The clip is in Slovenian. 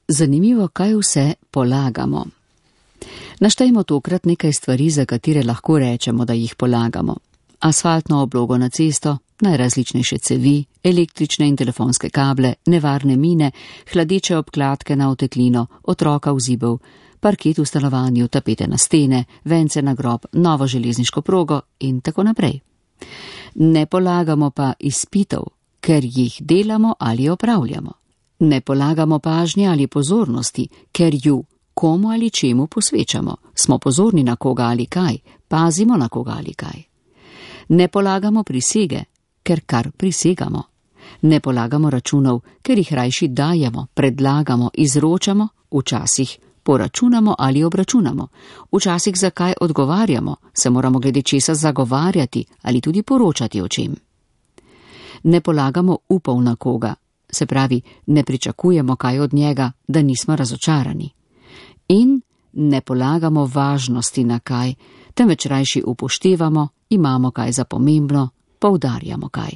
Zanimivo, kaj vse polagamo. Naštejmo tokrat nekaj stvari, za katere lahko rečemo, da jih polagamo. Asfaltno oblogo na cesto, najrazličnejše cevi, električne in telefonske kable, nevarne mine, hladeče obkladke na oteklino, otroka v zibel, parket v stanovanju, tapete na stene, vence na grob, novo železniško progo in tako naprej. Ne polagamo pa izpitov, ker jih delamo ali opravljamo. Ne polagamo pažnje ali pozornosti, ker ju komu ali čemu posvečamo. Smo pozorni na koga ali kaj, pazimo na koga ali kaj. Ne polagamo prisege, ker kar prisegamo. Ne polagamo računov, ker jih rajši dajemo, predlagamo, izročamo, včasih poračunamo ali obračunamo, včasih za kaj odgovarjamo, se moramo glede česa zagovarjati ali tudi poročati o čem. Ne polagamo upov na koga, se pravi, ne pričakujemo kaj od njega, da nismo razočarani. In ne polagamo važnosti na kaj, temveč rajši upoštevamo, imamo kaj za pomembno, poudarjamo kaj.